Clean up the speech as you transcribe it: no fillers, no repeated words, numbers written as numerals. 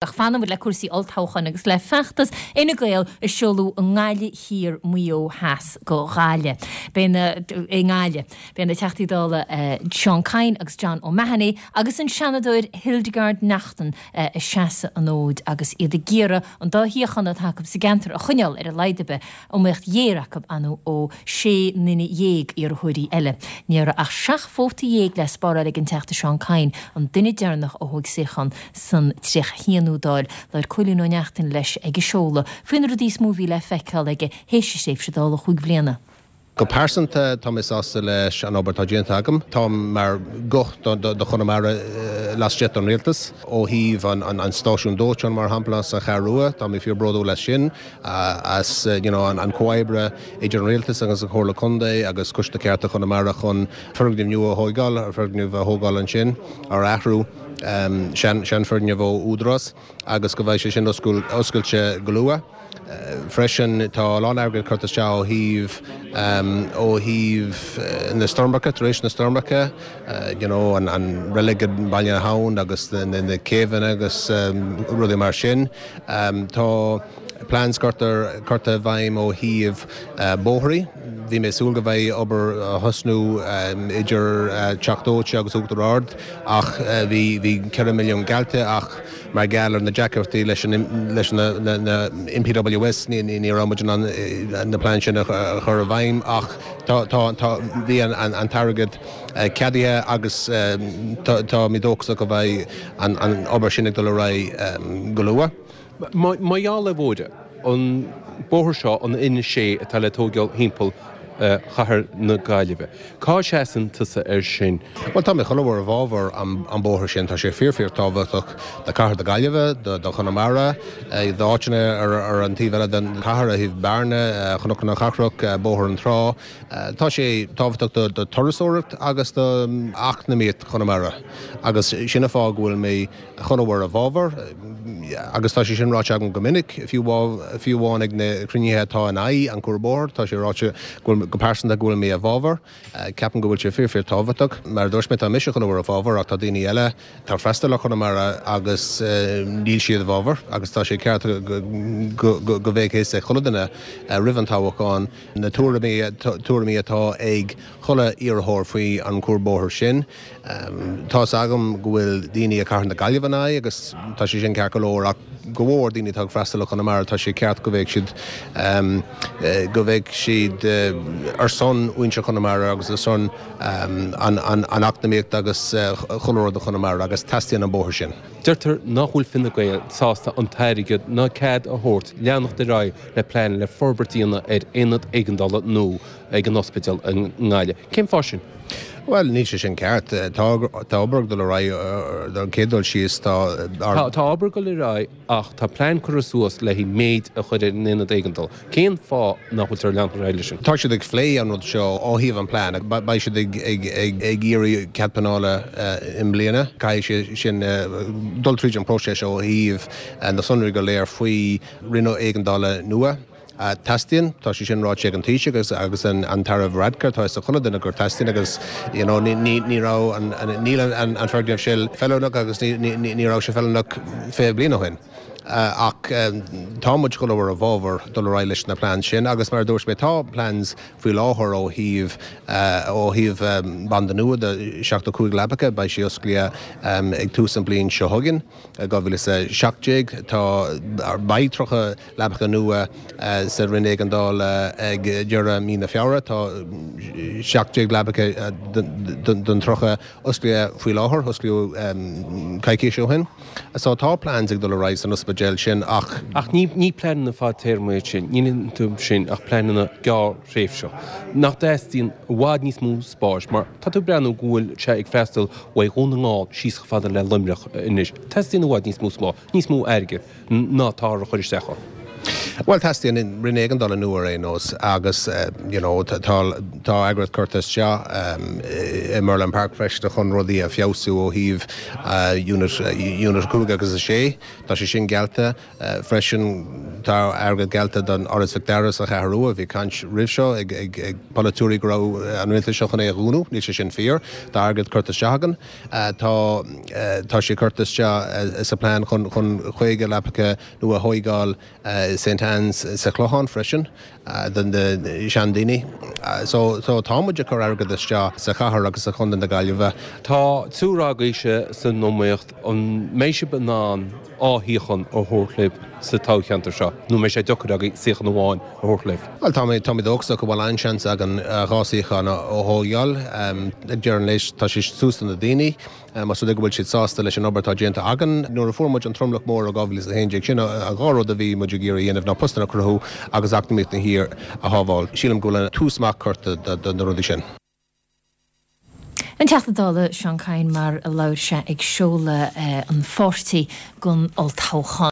Ach fanann muid le cúrsaí olltoghcháin agus le feachtas Fhine Gael a seoladh i nGaillimh Thiar, Maigh Eo Theas go Gaillimh. Beidh na i nGaillimh. Beidh na Teachtaí Dála Seán Kyne agus John O'Mahony agus an Seanadóir Hildegarde Naughton ag seasamh an fhóid agus iad ag iarraidh an dá shuíochán atá acu sa gceantar a choinneáil ar a laghad ar bith. Iomaíocht ghéar acu ar ndóigh ó 16 nduine iarrthóirí eile. Ní raibh ach 17 vóta le spáráil ag an Teachta Seán Kyne, an duine deireanach a thóg suíochán san 31ú Dáil. Labhair Cóilín Ó Neachtain leis ag an seoladh faoi na rudaí is mó a bhí le feiceáil aige théis a thréimhse Dála chúig bhliana. Go pearsanta, tá mé sásta leis an obair atá déanta agam. Táim mar ghuth do Chonamara laistigh den Rialtas. Ó thaobh an stáisiún dóiteáin, mar shampla, sa Cheathrú Rua, tá mé fíor bródúil as sin, as you know an comhoibre idir an Rialtas agus an Chomhairle Contae agus Coiste Cearta Chonamara chun foirgneamh nua a thóigeáil, foirgneamh a thógáil ansin, ar athrú sean-fhoirgneamh ó Údarás. agus go mbeidh sé sin oscailte go luath. Freisin, tá a lán airgid curtha isteach ó thaobh ó thaobh na stoirmeacha, tar éis na stoirmeacha, you know, an an reilig i mBaile na hAbhann agus na céibheanna agus rudaí mar sin. Tá plans curtha curtha i bhfeidhm ó thaobh bóithrí. Bhí mé ag súil go mbeidh obair á thosnú idir Teach Dóite agus Uachtar Ard ach bhí bhí 4 milliún geallta ach mar gheall ar na deacrachtaí leis an leis na na NPWS ní ní raibh muid in ann na plean sin a chur i bhfeidhm ach tá tá tá bhí an an t-airgead ceadaithe agus tá tá mé dóchasach go mbeidh an an obair sin ag dul ar aghaidh go luath. Mar gheall ar Mhóire, an bóthar seo, an N6 atá le tóigeáil thimpeall chathair na Gaillimhe, cá seasann tusa air sin? Bhuel, tá mé chuile uair i bhfabhar an bóthar sin. Tá sé fíor fíor tábhachtach do chathair na Gaillimhe, do Chonamara, d'áiteanna ar an taobh eile den chathair, ó thaobh Bearna, Chnoc na Cathrach, Bóthar na Trá. Tá sé tábhachtach do turasóireacht agus do eacnamaíocht Chonamara agus sin an fáth go bhfuil mé chuile uair i bhfabhar, agus tá sé sin ráite agam go minic, fiú amháin ag na cruinnithe atá in aghaidh an cuarbhóthar, tá sé ráite go bhfuil, go pearsanta, go bhfuil mé i bhfabhar. Ceapaim go bhfuil sé fíor fíor tábhachtach. Mar a dúirt mé, tá mise chuile uair i bhfabhar ach tá daoine eile atá ag freastal ar Chonamara agus níl siad i bhfabhar agus tá sé ceart go go mbeadh a fhios ag chuile duine roimh an toghchán na tuairimí tuairimí atá ag chuile iarrthóir faoi an cuarbhóthar sin. Tá's agam go bhfuil daoine i Cathair na Gaillimhe in aghaidh agus tá sé sin ceart go leor ach go mhór daoine atá ag freastal ar Chonamara tá sé ceart go bheadh siad go bheadh siad ar son mhuintir Chonamara agus ar son an an eacnamaíocht agus chuile rud do Chonamara agus teastaíonn an bóthar sin. Deirtear nach bhfuil Fine Gael sásta an t-airgead ná cead a thabhairt leanacht ar aghaidh le plean le forbairt a dhéanamh ar aonad éigeandála nua ag an ospidéal i nGaillimh. Cén fáth sin? Bhuel, níl sé sin ceart. Tá tá obair ag dul ar aghaidh ar an chéad dul síos. Tá ár. Tá obair ag dul ar aghaidh ach tá plean curtha suas le haghaidh méid a chur ar an aonad éigeandála. Cén fáth nach bhfuiltear ag leanacht ar aghaidh leis sin? Tá siad ag phlé an rud seo ó thaobh an plean. Beidh siad ag ag ag ag iarraidh cead pleanála i mbliana. Caithfidh sé sin dul tríd an próiseas ó thaobh na sonraí go léir faoi roinn éigeandála nua. Teastaíonn, tá sé sin ráite ag an Taoiseach agus agus an tAire Varadkar, tá a fhios ag chuile duine gur teastaíonn agus you know ní ní ní raibh an níl an an foirgneamh sin feiliúnach agus ní ní ní raibh sé feiliúnach 20 bliain ó shin. Ach tá muid chuile uair i bhfabhar dul ar aghaidh leis na plans sin agus mar a dúirt mé tá plans faoi láthair ó thaobh ó thaobh banda nua de 75 leapacha, beidh sé osclaithe ag tús an bliain seo chugainn. 2017. Tá, beidh 30 leapacha nua sa Roinn Éigeandála ag deireadh mí na Feabhra. Tá 17 leapacha den 30 osclaithe faoi láthair, osclaíodh coicís ó shin. So tá plans ag dul ar aghaidh san ospidéal sin ach. Ach ní pleananna fadtéarma iad sin, níl iontu sin ach pleananna gearrthréimhseach. Nach dteastaíonn i bhfad níos mó spáis mar tá tú ag breathnú go bhfuil sé ag freastal ó Dhún na nGall síos chomh fada le Luimneach anois. Teastaíonn i bhfad níos mó spáis, níos mó airgid ná atáthar a chur isteach ann. Bhuel, teastaíonn Roinn Éigeandála nua ar aon nós agus you know tá tá airgead curtha isteach i Merlin Park freisin chun rudaí a feabhsú ó thaobh Unit Unit 5 agus 6. Tá sé sin geallta. Freisin tá airgead geallta don Áras Mhic Dara sa Cheathrú Rua. Bhí caint roimh seo ag polaiteoirí go raibh an rialtas seo chun é a dhúnadh. Níl sé sin fíor. Tá airgead curtha isteach againn. Tá tá sé curtha isteach sa plean chun chun 50 leapacha nua a thóigeáil i St Anne's sa Chlochán freisin do na seandaoine. So so tá muid ag cur airgead isteach sa chathair agus sa chontae na Gaillimhe. Tá triúr agaibhse san iomaíocht. An mbeidh sibh in ann dhá shuíochán a thabhairt libh sa toghcheantar seo, nó an mbeidh sé deacair agaibh suíochán amháin a thabhairt libh? Bhuel, tá mé, tá mé dóchasach go bhfuil an-seans againn dhá suíochán a thógáil. Ag deireadh an lae, tá sé suas do na daoine, más rud é go bhfuil siad sásta leis an obair atá déanta againn. Nuair a fuair muid an tromlach mór i 2011, sin an dhá rud a bhí muid ag iarraidh a dhéanamh ná postanna a chruthú agus eacnamaíocht na thíre a shábháil. Sílim go bhfuil an tús maith curtha do na rudaí sin. An Teachta Dála Seán Kyne mar a labhair sé ag seoladh an pháirtí don olltoghchán.